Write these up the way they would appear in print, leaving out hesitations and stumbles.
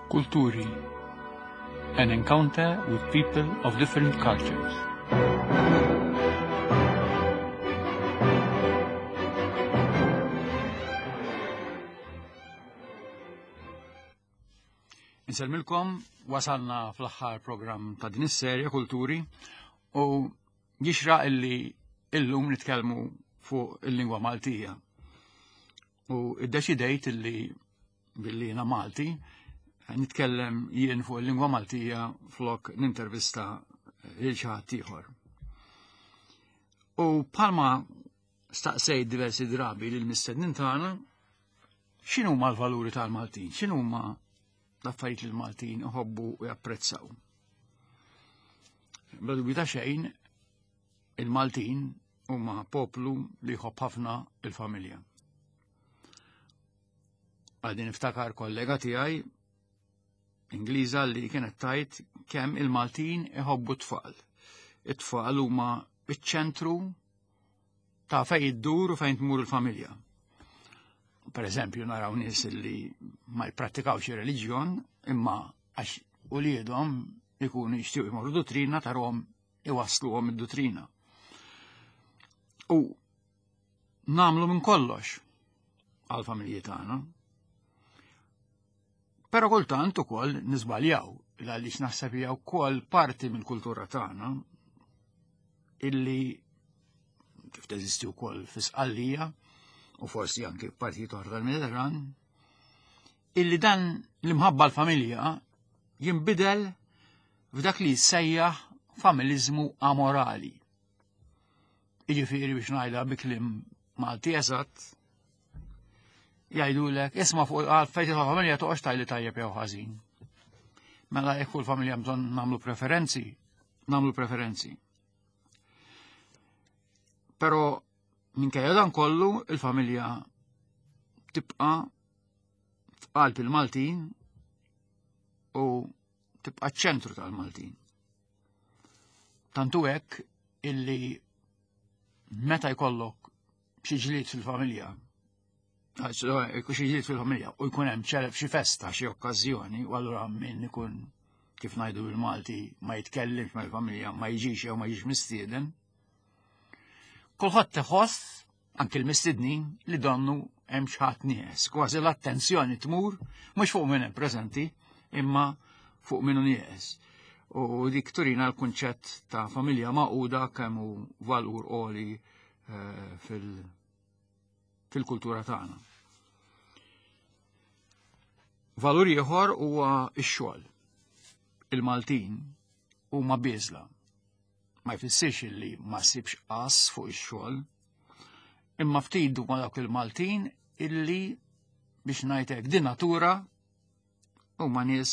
Kulturi An encounter with people of different cultures. Insellmilkom, wasalna fl-aħħar programm ta' din is-serje Kulturi u jixraq illi illum nitkellmu fuq il-lingwa Maltija. U iddeċidejt illi billi jiena Malti, nitkellem jien fuq il-lingwa Maltija flok nintervista lil xi ħadd ieħor. U bħalma staqsejt diversi drabi lil mistednin tagħna x'inhuma l-valuri tal-Maltin, x'inhuma l-affarijiet li l-Maltin iħobbu u japprezzaw. Bla dubju ta' xejn, il-Maltin huma poplu li jħobb ħafna il-familja. Għadni niftakar kollega tiegħi Ingliża li kienet tajt kemm il-Maltin iħobbu t-tfal. It-tfal huma iċ-ċentru ta' fejn iddur u fejn tmur il-familja. Per eżempju, naraw nies li ma jipprattikawx ir-reliġjon, imma għax uliedhom ikunu jixtiequ jmorru duttrina tarhom iwassluhom id-duttrina. U namlu minn kollox għal-familji tagħna. Però kultant ukoll niżbaljaw għaliex naħseb hija wkoll parti mill-kultura tagħna illi kif teżisti wkoll fi Sqallija u forsi anki f'partijiet oħra tal-Mediterran, illi dan l-imħabba l-familja jinbidel f'dak li jissejjaħ familiżmu amorali. Jiġifieri biex ngħidha bi kliem Malti eżatt, jgħidulek isma' fuq għal fejn familja toqgħodx tgħidli tajjeb jew ħażin. Mela jekk fuq il-familja bżonn nagħmlu preferenzi, nagħmlu preferenzi. Però minkejja dan kollu il-familja tibqa' f'qalb il-Maltin u tibqa' ċ-ċentru tal-Maltin. Tantu hekk illi meta jkollok xi ġlied fil-familja, xi ġlied fil-familja u jkun hemm ċeleb xi festa, xi okkażjoni, u allura min ikun kif ngħidu bil-Malti ma jitkellimx mal-familja, ma jiġix jew ma jiġix mistieden. Kulħadd iħoss anki l-mistednin li donnu hemm xi ħadd nieqes. Kważi l-attenzjoni tmur mhux fuq min hemm preżenti, imma fuq min hu nieqes. U dik turina l-kunċett ta' familja maquda kemm hu valur għoli eh, fil-kultura tagħna. Valur ieħor huwa x-xogħol. Il-Maltin huma bieżla Ma jfissirx illi ma ssibx qas fuq ix-xogħol, imma ftit huma dawk il-Maltin illi biex ngħidlek din natura huma nies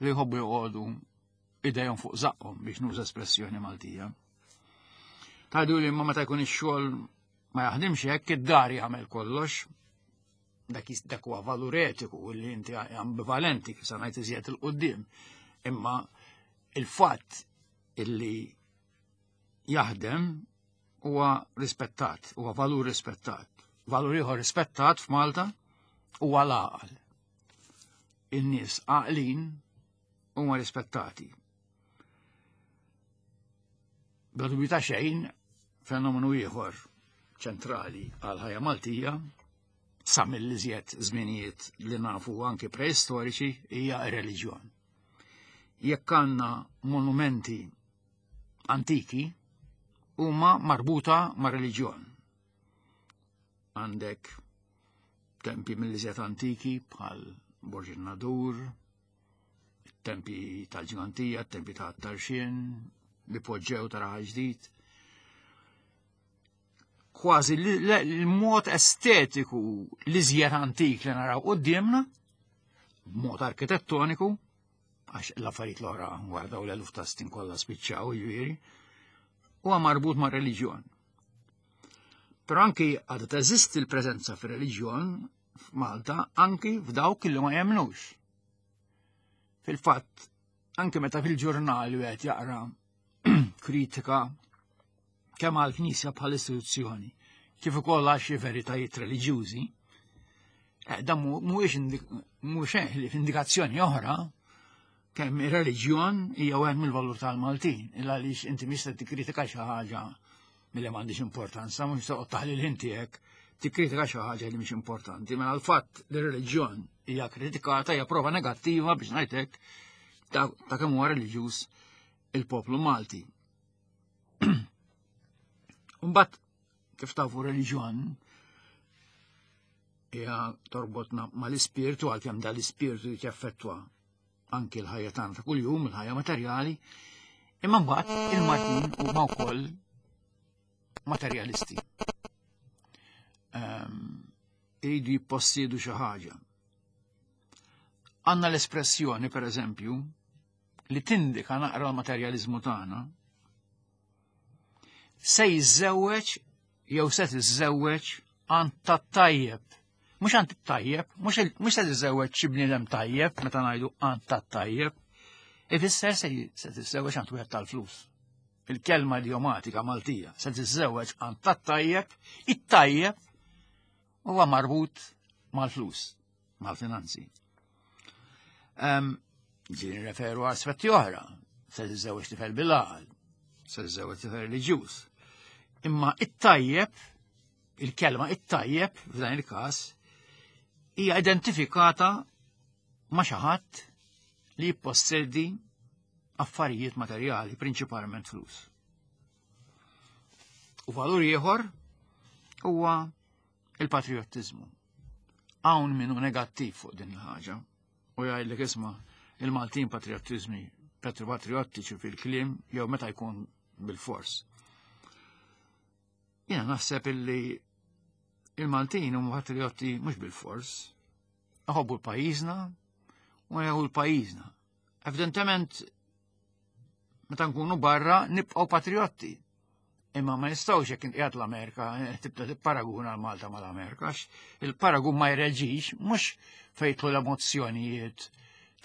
li jħobbu joqogħdu idejhom fuq żaqqhom biex nuża espressjoni Maltija. Tgħidu li imma meta jkun ix-xogħol ma jaħdimx hekk id-dar jagħmel kollox, dak dak huwa valur etiku li inti ambivalenti kif se ngħid iżjed il-qudiem. Imma il-fatt illi jaħdem huwa rispettat, huwa valur rispettat. Valur ieħor rispettat f'Malta huwa l-għaqal. In-nies għaqlin huma rispettati. Bla dubju ta' xejn, fenomenu ieħor ċentrali għal ħajja Maltija sa mill-iżjed żminijiet li nafu anki preistoriċi hija r-reliġjon. Jekk għandna monumenti antiki huma marbuta ma' reliġjon. Għandek tempi mill-iżjed antiki bħal Borġ Nadur, tempi tal-ġgantija, tempi ta' tarxien, li poġġew ta' raħal ġdid. Kważi l-mod estetiku li żjed antik li naraw qudiemna, b'mod arkitettoniku, għax l-affarijiet l-oħra wara dawn l-eluf ta' snin kollha spiċċaw jiġifieri, huwa marbut ma' reliġjon. Però anki għadha teżisti l-preżenza fir-reliġjon f'Malta anki f'dawk li ma jemnux. Fil-fatt, anki meta fil-ġurnal wieħed jaqra kritika kemm għall-Knisja bħal istituzzjoni, kif ukoll għal xi veritajiet reliġjużi, Eh, dan mhuwiex mhux li f'indikazzjoni oħra kemm ir-reliġjon hija wieħed mill-valur tal-Maltin, illa għaliex inti mhix se tikkritika xi ħaġa milli m'għandix importanza, mhux se toqgħod taħli l-ħin tiegħek tikkritika xi ħaġa li mhix importanti, mela l-fatt li r-reliġjon hija kritikata hija prova negattiva biex ngħidlek ta' kemm huwa reliġjuż il-poplu Malti. Mbagħad kif tafu reliġjon hija torbotna mal-ispirtu għalkemm dal-ispirtu jeffettwa anki l-ħajja tagħna ta' kuljum, il-ħajja materjali, imma mbagħad il-Maltin huma wkoll materjalisti. Ehm, iridu jippossiedu xi ħaġa. Għandna l-espressjoni, per eżempju, li tindika naqra l-materjalizmu tagħna, se jiżżewweġ jew se tiżżewweġ għand tat-tajjeb. Mhux għand tajjeb, mhux se tiżżewweġ xi bniedem tajjeb meta ngħidu għand tat-tajjeb. Ifisser se tiżżewweġ għand wieħed tal-flus. Il-kelma idiomatika Maltija se tiżżewweġ għand tat-tajjeb, it-tajjeb huwa marbut mal-flus, mal-finanzi. Ġi referu aspetti oħra, se tiżżewweġ tifel bil-għaqal, se tiżżewweġ tifel reliġjuż. Imma it-tajjeb, il-kelma it-tajjeb f'dan il-każ, hija identifikata ma' xi ħadd li jippossedi affarijiet materjali, prinċipalment flus. U valur ieħor huwa il-patriottiżmu. Hawn minnu negattiv fuq din il-ħaġa u jgħidlek isma' il-Maltin patriottiżmi patriottiċi fil-kliem jew meta jkun bil-fors. Jiena naħseb illi il-Maltin huma patriotti mhux bil-fors. Iħobbu l-pajjiżna u jgħu l-pajjiżna. Evidentement meta nkunu barra nibqgħu patriotti. Imma ma nistgħux jekk inqiegħed l-Amerika eh, tibda tipparaguna l-Malta mal-Amerika, il-paragun ma jreġix mhux fejtlu l-emozzjonijiet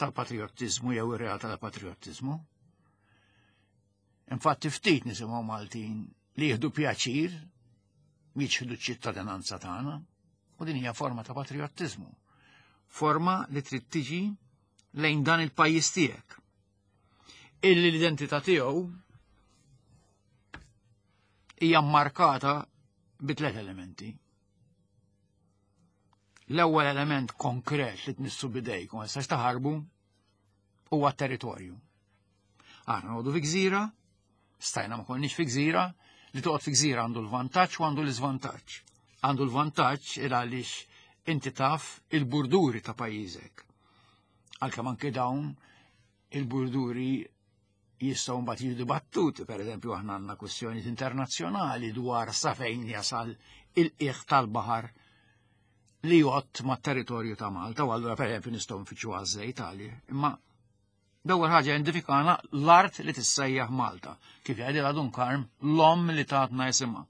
tal-patriottiżmu jew ir-realtà tal-patriottiżmu. Infatti ftit nisimgħu Maltin li jieħdu pjaċir jiċħdu ċ-ċittadinanza tagħna u din hija forma ta' patriottiżmu. Forma li trid tiġi lejn dan il-pajjiż tiegħek. Illi l-identità tiegħu hija mmarkata bi tliet elementi. L-ewwel element konkret li tmissu bidejk u ma tistax taħarbu huwa t-territorju. Aħna noqogħdu fi gżira, stajna ma konniex fi gżira, li toqgħod fi gżira għandu l-vantaġġ u għandu l-iżvantaġġ. Għandu l-vantaġġ il għaliex inti taf il-burduri ta' pajjiżek. Għalkemm anke dawn il-burduri jistgħu mbagħad jiġu dibattuti, pereżempju aħna għandna kwistjonijiet internazzjonali dwar sa fejn jasal il-qiegħ tal-baħar li jgħott mat-territorju ta' Malta, u allura pereżempju nistgħu nfittxu għaż-żejt għalih. Imma l-ewwel ħaġa identifikana l-art li tissejjaħ Malta, kif jgħidilha Dun Karm, l-omm li tatna jisimha.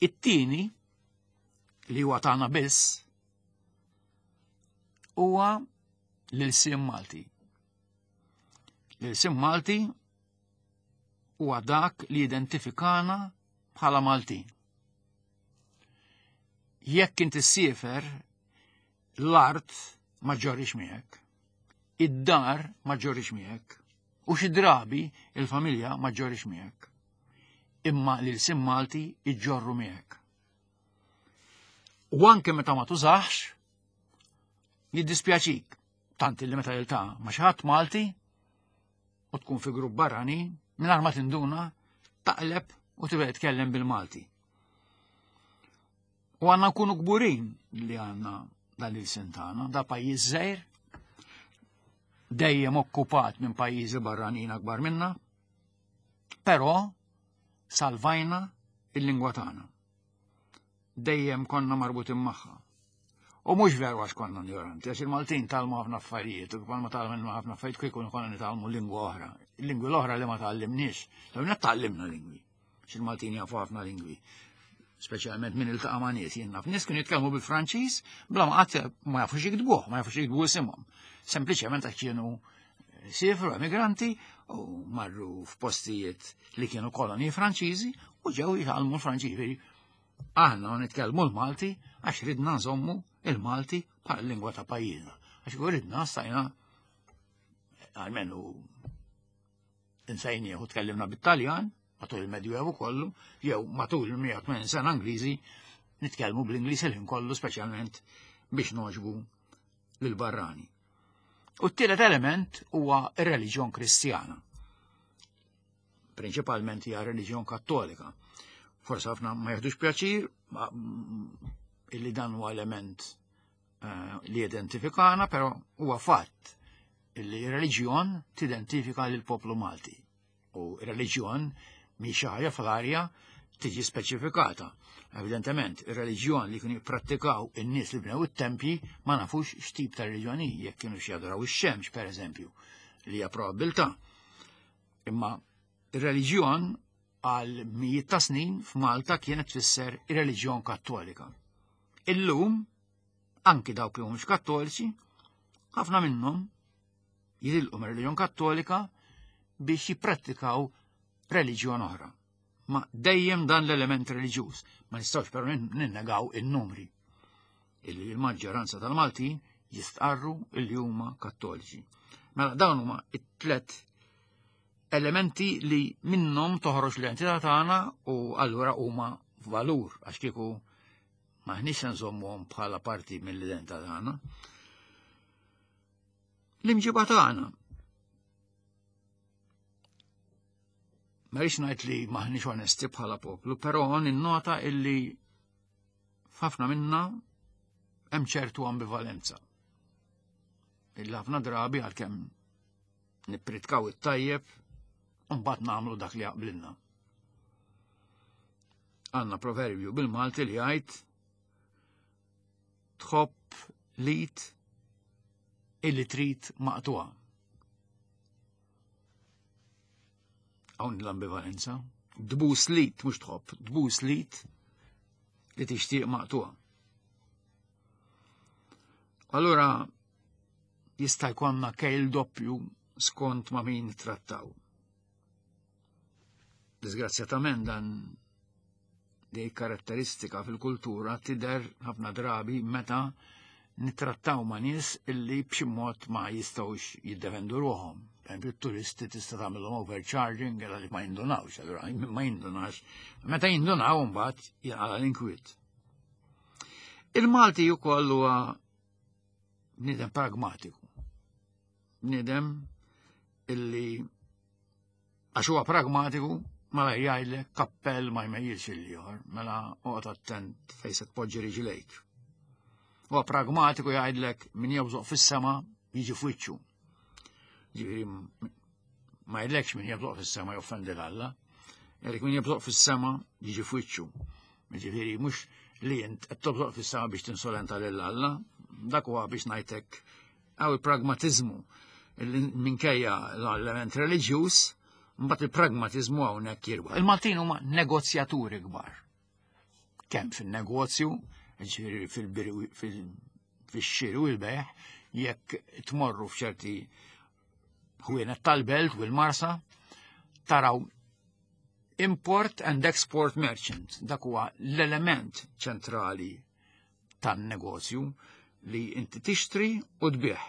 It-tieni li huwa tagħna biss huwa l-ilsien Malti. L-ilsien Malti huwa dak li identifikana bħala Maltin. Jekk inti ssiefer l-art ma ġorrix miegħek, id-dar ma ġorrix miegħek, u xi drabi il-familja ma ġorrix miegħek. Imma l-ilsien Malti iġġorru miegħek. U anke meta ma tużax, jiddispjaċik. Tant li meta jiltaqa' ma' xi ħadd Malti u tkun fi grupp barrani, mingħajr ma tinduna, taqleb u tibda titkellem bil-Malti. U għandna nkunu kburin li għandna dan il-sin tagħna, da pajjiż żgħir, dejjem okkupat minn pajjiżi barranin akbar minna, però salvajna il-lingwa tagħna. Dejjem konna marbutin magħha. U mhux veru għax konna ignoranti, għax il-Maltin talmu ħafna affarijiet, u bħalma talmu ħafna affarijiet kieku konna nitalmu lingwa oħra. Il-lingwi l-oħra li ma tgħallimniex, l tgħallimna lingwi. Għax il-Maltin jafu ħafna lingwi. Speċjalment min iltaqa' ma' nies, jien naf nies kienu jitkellmu bil-Franċiż bla ma qatt ma jafux jiktbuh, ma jafux jiktbu isimhom. Sempliċement għax kienu siefru emigranti u marru f'postijiet li kienu kolonji Franċiżi u ġew jitgħallmu l-Franċiż. Aħna nitkellmu l-Malti għax ridna nżommu il-Malti bħala lingwa ta' pajjiżna. Għax ridna stajna għalmenu insejnieħ u tkellimna bit-Taljan matul il-Medjuevu kollu, jew matul il-180 sena Ingliżi nitkellmu bl-Ingliż il-ħin kollu speċjalment biex noġbu lill-barrani. U t-tielet element huwa r-reliġjon Kristjana. Prinċipalment hija reliġjon Kattolika. Forsi ħafna ma jeħdux pjaċir illi dan huwa element eh, li identifikana, però huwa fatt illi reliġjon tidentifika lil poplu Malti. U reliġjon mi xi ħaġa fl-arja tiġi speċifikata. Evidentement, ir-reliġjon li kienu jipprattikaw in-nies li bnew it-tempji ma nafux x'tip ta' reliġjon hi, jekk kienu xi jadoraw ix-xemx pereżempju, li hija probabilità. Imma ir-reliġjon għal mijiet ta' snin f'Malta kienet tfisser ir-reliġjon Kattolika. Illum, anki dawk li mhumiex Kattoliċi, ħafna minnhom jitilqu mir-reliġjon Kattolika biex jipprattikaw reliġjon oħra. Ma dejjem dan l-element reliġjuż, ma nistgħux però ninnegaw in-numri illi l-maġġoranza tal-Maltin jistqarru illi huma Kattoliċi. Mela dawn huma it-tlet elementi li minnhom toħroġ l-identità tagħna u allura huma valur għax kieku maħniex se nżommuhom bħala parti mill-identità tagħna. L-imġiba tagħna. Ma rridx ngħid li maħniex onesti bħala poplu, però ninnota illi f'ħafna minna hemm ċertu ambivalenza. Illi ħafna drabi għalkemm nippritkaw it-tajjeb u mbagħad nagħmlu dak li jaqblilna. Għandna proverbju bil-Malti li jgħid tħobb lit illi trid maqtuha. Hawn l-ambivalenza. Dbus lit mhux tħobb, dbus lit li tixtieq maqtuha. Allura jista' jkollna kejl doppju skont ma' min trattaw. Disgrazzjatament dan di karatteristika fil-kultura tidher ħafna drabi meta nittrattaw ma' nies illi b'xi mod ma jistgħux jiddefendu ruħhom. Per turisti tista' tagħmilhom overcharging għal li ma jindunawx, allura ma jindunax. Meta jindunaw mbagħad jinqala l-inkwiet. Il-Malti wkoll huwa bniedem pragmatiku. Bniedem illi Għax huwa pragmatiku, mela jgħidlek kappell ma jmejjilx il-ieħor, mela oqgħod attent fejn se tpoġġi riġlejk. Huwa pragmatiku jgħidlek min jobżoq fis-sema jiġi f'wiċċu. Ġifieri ma jgħidlekx min jobżoq fis-sema joffendi l-Alla, jgħidlek min jobżoq fis-sema jiġi f'wiċċu. Ġifieri mhux li int qed tobżoq fis-sema biex tinsolenta lil Alla, dak huwa biex ngħidlek Għaw il-pragmatizmu minkejja l-element reliġjuż, mbagħad il-pragmatizmu hawnhekk jirwa. Il-Maltin huma negozjaturi kbar. Kemm fin-negozju, ġifieri fil-xiri u l-bejħ, jekk tmorru f'ċerti ħwienet tal-belt u l-marsa, taraw import and export merchant, dak huwa l-element ċentrali tan-negozju li inti tixtri u tbigħ.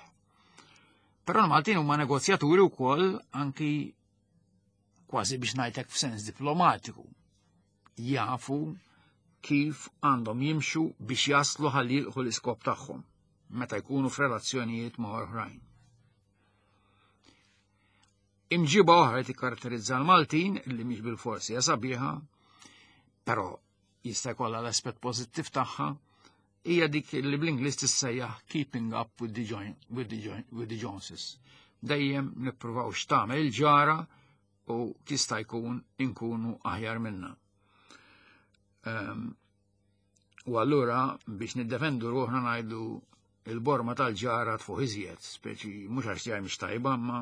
Però l-Maltin huma negozjaturi wkoll anki kważi biex ngħidlek f'sens diplomatiku. Jafu kif għandhom jimxu biex jaslu ħalli jilħu l-iskop tagħhom meta jkunu f'relazzjonijiet ma' oħrajn. Imġiba oħra li tikkaratterizza l-Maltin li mhix bil-forsi hija sabiħa, però jista' jkollha l-aspett pożittiv tagħha, hija dik li bl-Ingliż tissejjaħ keeping up with the, join, with the, join, with the Joneses. Dejjem nippruvaw x'tagħmel il-ġara u jista' jkun inkunu aħjar minna. Um, u allura biex niddefendu ruħna ngħidu il-borma tal-ġara tfuħ iżjed, speċi mhux għax tiegħi mhix tajba, ma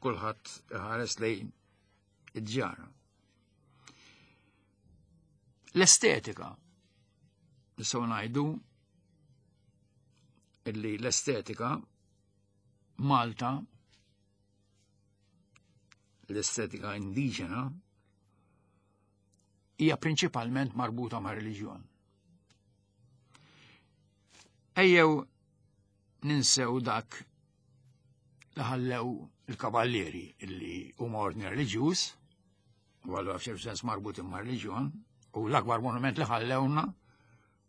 kulħadd ħares lejn id-ġara. L-estetika. Nistgħu ngħidu illi l-estetika Malta l-estetika indiġena hija prinċipalment marbuta ma' reliġjon. Ejjew ninsew dak li ħallew il-kavallieri illi huma ordni reliġjuż, u allura f'ċertu sens marbut imma reliġjon, u l-akbar monument li ħallewna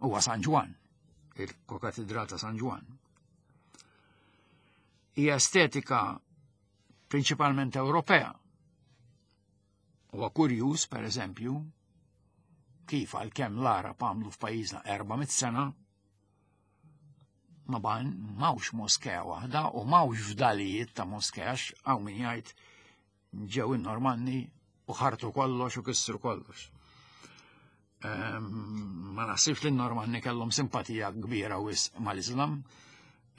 huwa San Ġwann, il-Kokatedral ta' San Ġwann. Hija estetika prinċipalment Ewropea. Huwa kurjuż, per eżempju, kif għalkemm l-Arab għamlu f'pajjiżna 400 sena, ma ban mawx moskea waħda u mawx fdalijiet ta' moskea hawn min jgħid ġew in-Normanni u ħartu kollox u kissru kollox. Ehm, ma naħsibx li n-Normanni kellhom simpatija kbira wis mal-Islam,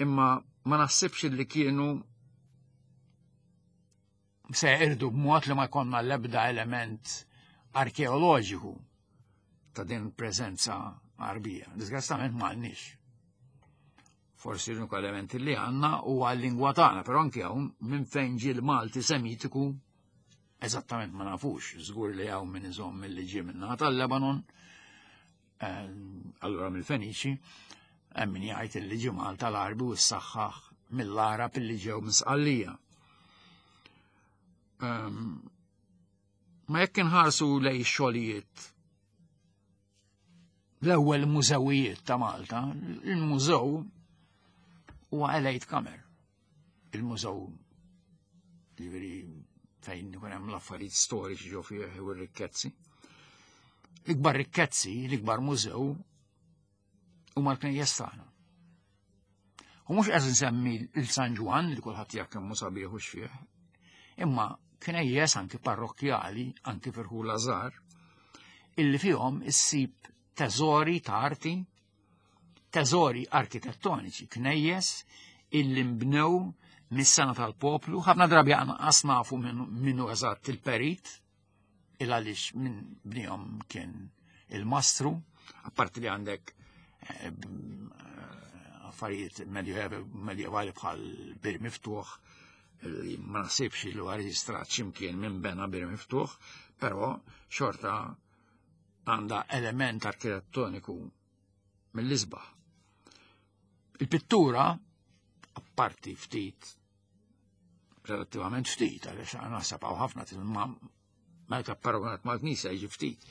imma ma naħsibx li kienu se irdu b'mod li ma jkollna l-ebda element arkeoloġiku ta' din preżenza Għarbija. Disgastament ma għandniex. Forsi l-uniku element li għandna huwa l-lingwa tagħna, però anke hawn minn fejn ġie l-Malti Semitiku eżattament ma nafux, żgur li hawn min iżomm mill-li ġie minn tal-Lebanon, eh, allura mill-Feniċi, hemm min jgħid li ġie Malta l-Arbi u s-saħħaħ mill-Arab li ġew minn Sqallija. Ehm, ma jekk inħarsu lej xogħlijiet l-ewwel mużewijiet ta' Malta, il-mużew huwa Elite Kamer. Il-mużew ġifieri fejn ikun hemm l-affarijiet storiċi ġo fih u r-rikkezzi. L-ikbar rikkezzi, l-ikbar mużew huma l-knejjes tagħna. U mhux qed nsemmi l-San Ġwann li kulħadd jaf kemm hu sabiħ u xfih, imma knejjes anki parrokkjali, anki firħula żgħar, illi fihom issib teżori ta' arti, teżori arkitettoniċi, knejjes illi nbnew mis-sena tal-poplu, ħafna drabi anqas nafu minnu eżatt il-perit, il għaliex minn bnihom kien il-mastru, apparti li għandek eh, eh, affarijiet medjevali bħal bir miftuħ, li ma naħsibx li huwa reġistrat x'imkien minn bena bir miftuħ, però xorta għandha element arkitettoniku mill-isbaħ. Il-pittura, apparti ftit relattivament ftit, għaliex naħseb hawn ħafna tilma meta paragonat mal-knisja jiġi ftit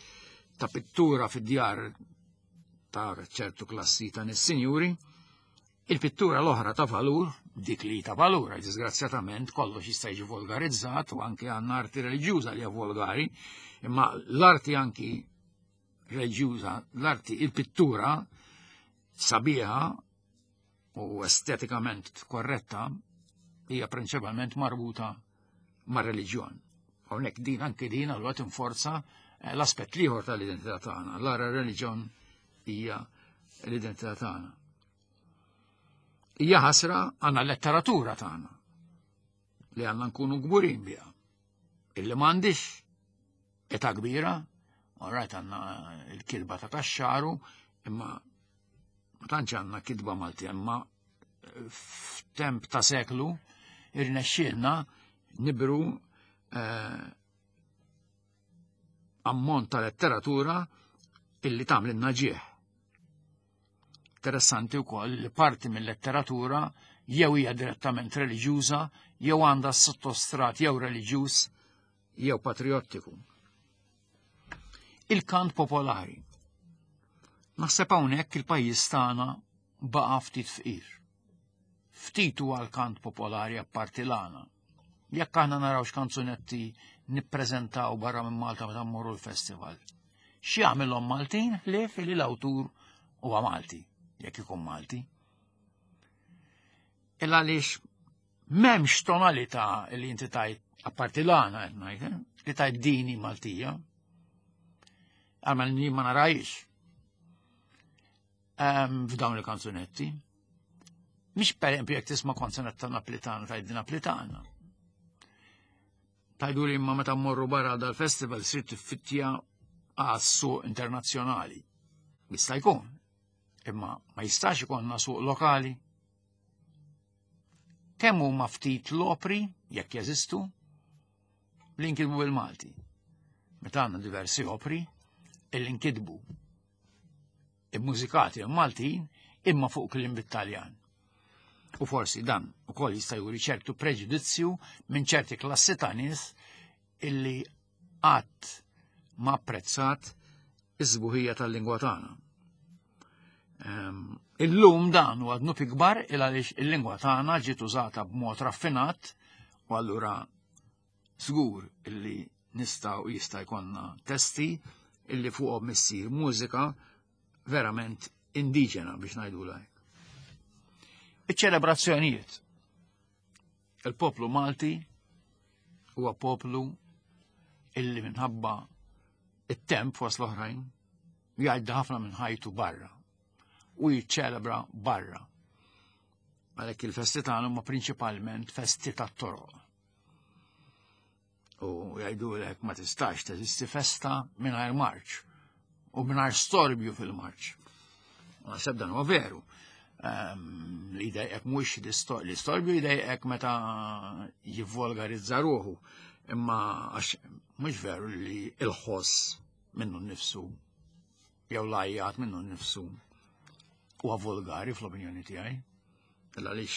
ta' pittura fid-djar ta' ċertu klassi ta' nis-sinjuri, il-pittura l-oħra ta' valur, dik li ta' valur, disgrazzjatament kollox jista' jiġi volgarizzat u anke għandna arti reliġjuża li hija volgari, imma l-arti anki reliġjuża, l-arti, il-pittura sabiħa u estetikament korretta hija prinċipalment marbuta mar-reliġjon. Hawnhekk din anke din allura tinforza eh, l-aspett l-ieħor tal-identità tagħna. L-ara reliġjon hija l-identità tagħna. Hija ħasra għandna letteratura tagħna li għandna nkunu kburin biha. Illi m'għandix età kbira, orajt għandna l-kilba ta' taxxaru, imma ma tantx għandna kitba Malti, imma eh, f'temp ta' seklu irnexxielna nibru eh, ammont ta' letteratura illi tagħmlilna ġieħ. Interessanti wkoll li parti mill-letteratura jew hija direttament reliġjuża jew għandha sottostrat jew reliġjuż jew patriottiku. Il-kant popolari. Naħseb hawnhekk il-pajjiż tagħna baqa' ftit fqir. Ftit huwa l-kant popolari apparti l-għana. Jekk aħna naraw x'kanzunetti nippreżentaw barra minn Malta meta mmorru l-festival. X'jagħmilhom Maltin ħlief li l-awtur huwa Malti, jekk ikun Malti. Il għaliex M'hemmx tonalità li inti tajt, apparti l-għana qed ngħid, eh, li tajt dini Maltija. Għamel li ma narajx. Ehm, f'dawn il-kanzunetti. Mhix per esempio jekk tisma' kanzunetta Naplitana tajt din Naplitana. Tajdu li imma meta mmorru barra dal-festival sir tiffittja għas-suq internazzjonali. Jista' jkun. Imma ma jistax ikollna suq lokali. Kemm huma ftit l-opri, jekk jeżistu, li nkitbu bil-Malti. Meta għandna diversi opri illi nkitbu immużikati Maltin imma fuq kliem bit-Taljan. U forsi dan ukoll jista' juri ċertu preġudizzju minn ċerti klassi ta' nies illi qatt ma apprezzat iż-żbuħija tal-lingwa tagħna. Ehm, illum dan huwa dnub ikbar il għaliex il-lingwa tagħna ġiet użata b'mod raffinat u allura żgur illi nistgħu jista' jkollna testi illi fuqhom issir mużika verament indiġena biex ngħidulha hekk. Iċ-ċelebrazzjonijiet. Il-poplu Malti huwa poplu illi minħabba it-temp fost l-oħrajn jgħaddi ħafna minn ħajtu barra u jiċċelebra barra. Għalhekk il-festi tagħna huma prinċipalment festi tat-toroq. U jgħidulek ma tistax teżisti festa mingħajr marċ u mingħajr storbju fil-marċ. Naħseb dan huwa veru. Ehm, li jdejqek mhux l-istorbju jdejqek meta jivvolgarizza ruħu, imma għax mhux veru li il-ħoss minnu nnifsu jew lajjat minnu nnifsu huwa volgari fl-opinjoni tiegħi. Għaliex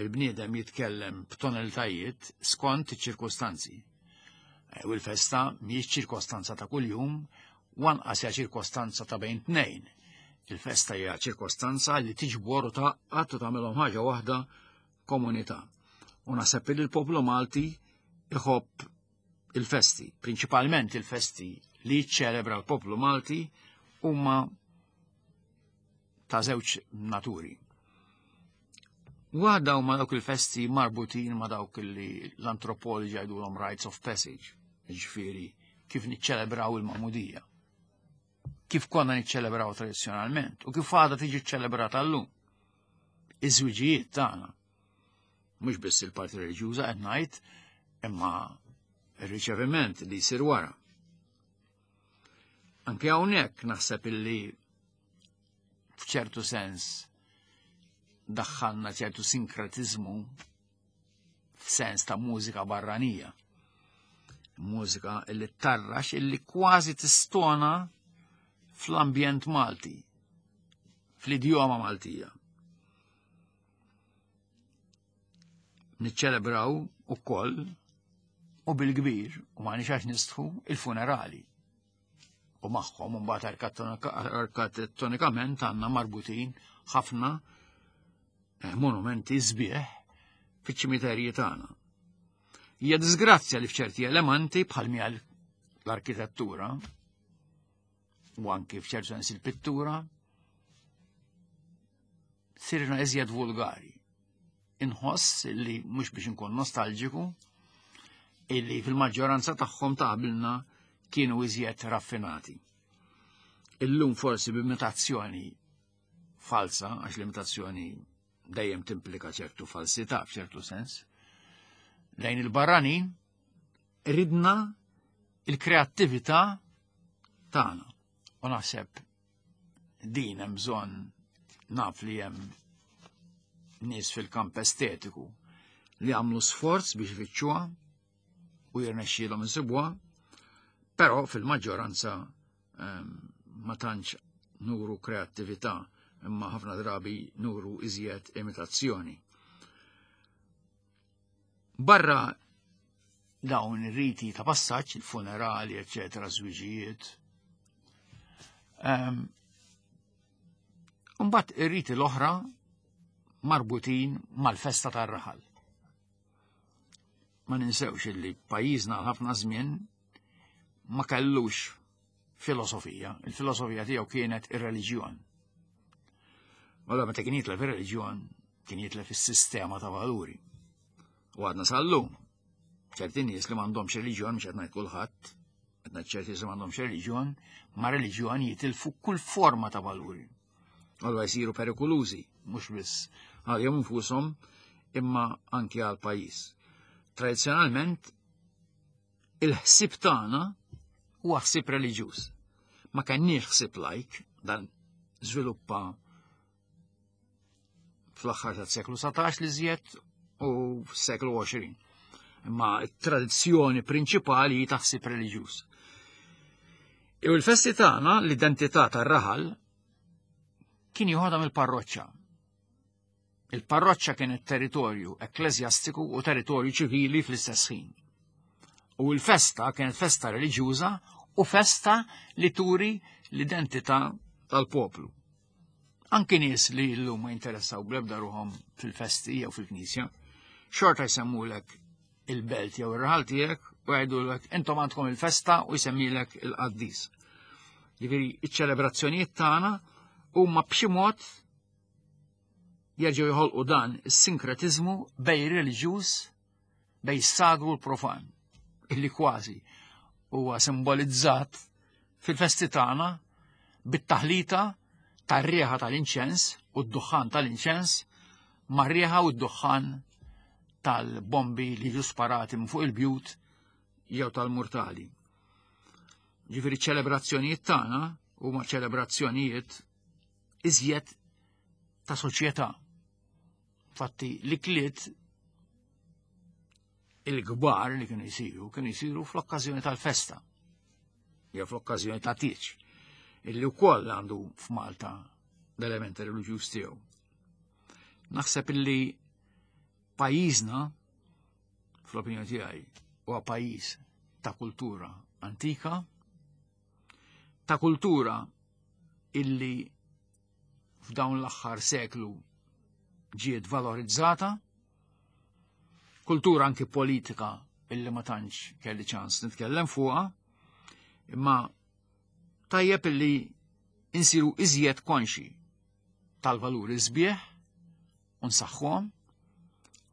il-bniedem jitkellem b'tonalitajiet skont iċ-ċirkostanzi. Eh, u l-festa mhijiex ċirkostanza ta' kuljum, u anqas hija ċirkostanza ta' bejn tnejn. Il-festa hija ċirkostanza li tiġbor u tgħaqqad u tagħmilhom ħaġa waħda komunità. U naħseb li l-poplu Malti iħobb il-festi, prinċipalment il-festi li jiċċelebra l-poplu Malti huma ta' żewġ naturi. Waħda huma dawk il-festi marbutin ma' dawk li l-antropologi jgħidulhom rites of passage, ġifieri kif niċċelebraw il-magħmudija. Kif konna niċċelebraw tradizzjonalment u kif għadha tiġi ċċelebrata llum. Iż-żwiġijiet tagħna. Mhux biss il-parti reliġjuża qed ngħid, imma ir-riċeviment li jsir wara. Anke hawnhekk naħseb illi f'ċertu sens daħħalna ċertu sinkretizmu f'sens ta' mużika barranija. Mużika illi tarrax illi kważi tistona fl-ambjent Malti, fl-idjoma Maltija. Niċċelebraw ukoll u bil-kbir u ma għax nistħu il-funerali. U magħhom mbagħad arkitettonikament għandna marbutin ħafna eh, monumenti sbieħ fiċ-ċimiterji tagħna. Hija disgrazzja li f'ċerti elementi bħal mija l-arkitettura u anki f'ċertu sens il-pittura sirna iżjed vulgari. Inħoss li mhux biex inkun nostalġiku, illi fil-maġġoranza tagħhom ta' qabilna kienu iżjed raffinati. Illum forsi b'imitazzjoni falsa, għax l-imitazzjoni dejjem timplika ċertu falsità f'ċertu sens, lejn il-barranin ridna il-kreattività tagħna. U naħseb din hemm bżonn naf li hemm nies fil-kamp estetiku li għamlu sforz biex ifittxuha u jirnexxielhom insibuha, però fil-maġġoranza ehm, ma tantx nuru kreattività imma ħafna drabi nuru iżjed imitazzjoni. Barra dawn ir-riti ta' passaġġ, il-funerali, eċetera, żwiġijiet. Ehm, mbagħad ir-riti l-oħra marbutin mal-festa tar-raħal. Ma ninsewx illi pajjiżna ħafna żmien ma kellux filosofija. Il-filosofija tiegħu kienet ir-reliġjon. Allora meta kien jitlef ir-reliġjon, kien jitlef is-sistema ta' valuri. U għadna sal-lum. ċerti nies li m'għandhomx reliġjon, mhux qed ngħid kulħadd, qed ngħid ċerti nies li m'għandhomx reliġjon, ma' reliġjon jitilfu kull forma ta' valuri. Allura jsiru perikolużi, mhux biss għalihom infushom imma anki għal pajjiż. Tradizzjonalment il-ħsieb tagħna huwa ħsieb reliġjuż. Ma kenniex ħsieb lajk dan żviluppa fl-aħħar tas-seklu 19 li żjed u fis-seklu 20. Imma t-tradizzjoni prinċipali hi ta' ħsieb reliġjuż. U l-festi tagħna, l-identità tar-raħal, kien joħodha mill-parroċċa. Il-parroċċa kienet territorju ekkleżjastiku u territorju ċivili fl-istess ħin. U l-festa kienet festa reliġjuża u festa li turi l-identità tal-poplu. Anki nies li llum ma jinteressaw bl-ebda ruħhom fil-festi jew fil-knisja, xorta jsemmulek il-belt jew ir-raħal tiegħek u jgħidulek intom għandkom il-festa u jsemmilek il-qaddis. Jiġifieri iċ-ċelebrazzjonijiet tagħna huma b'xi mod jerġgħu jħolqu dan is-sinkretiżmu bej reliġjuż bej sagru l-profan illi kważi huwa simbolizzat fil-festi tagħna bit-taħlita tar-riħa tal-inċens u d-duħħan tal-inċens mar-riħa u d-duħħan tal-bombi li jiġu sparati minn fuq il-bjut jew tal-murtali. Ġifieri ċelebrazzjonijiet tagħna huma ċelebrazzjonijiet iżjed ta' soċjetà. Fatti l-ikliet il-kbar li kienu jsiru, kienu jsiru fl-okkażjoni tal-festa, jew fl-okkażjoni ta' tieġ, illi wkoll għandu f'Malta l-element reliġjuż tiegħu. Naħseb illi pajjiżna, fl-opinjoni tiegħi, huwa pajjiż ta' kultura antika, ta' kultura illi f'dawn l-aħħar seklu ġiet valorizzata, kultura anki politika illi ma tantx kelli ċans nitkellem fuqha, imma tajjeb illi insiru iżjed konxi tal-valuri sbieħ u nsaħħuhom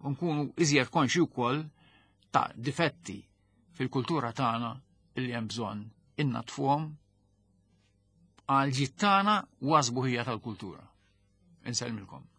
u nkunu iżjed konxi wkoll ta' difetti fil-kultura tagħna illi hemm bżonn innatfuhom għal ġid tagħna u għas-sbuħija tal-kultura. Insellmilkom.